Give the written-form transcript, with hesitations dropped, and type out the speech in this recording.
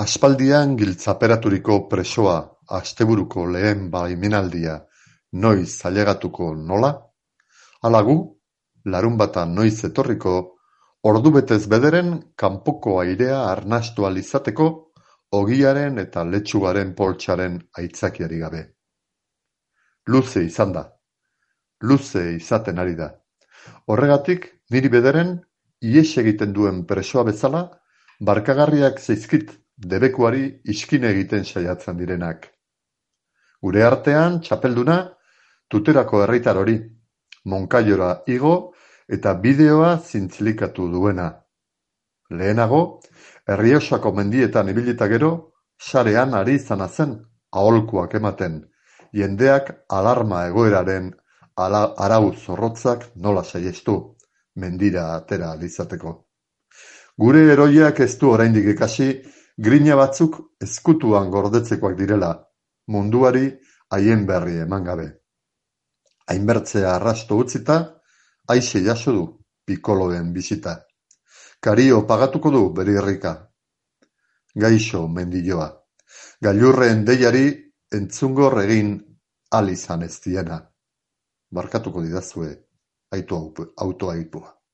Aspaldian giltzaperaturiko presoa asteburuko lehen baimenaldia noiz ailegatuko nola? Ala gu, larunbata noiz etorriko, ordubetez bederen kanpoko airea arnastu ahal izateko ogiaren eta letxugaren poltsaren aitzakiarik gabe. Luze izan da. Luze izaten ari da. Horregatik, niri bederen, ihes egiten duen presoa bezala, barkagarriak zaizkit debekuari iskine egiten saiatzen direnak. Gure artean, txapelduna, Tuterako herritar hori, Monkaiora igo eta bideoa zintzilikatu duena. Lehenago, Errioxako mendietan ibilita gero, sarean ari izana zen, aholkuak ematen, jendeak alarma egoeraren arau zorrotzak nola saihestu, mendira atera ahal izateko. Gure heroiak ez du oraindik ikasi, grina batzuk ezkutuan gordetzekoak direla, munduari haien berri eman gabe. Hainbertzea arrasto utzita, aixe jaso du pikoloen bisita. Kario pagatuko du bere irrika. Gaixo mendilloa. Gailurren deiari entzungor egin ahal izan ez diena. Barkatuko didazue autoaipua.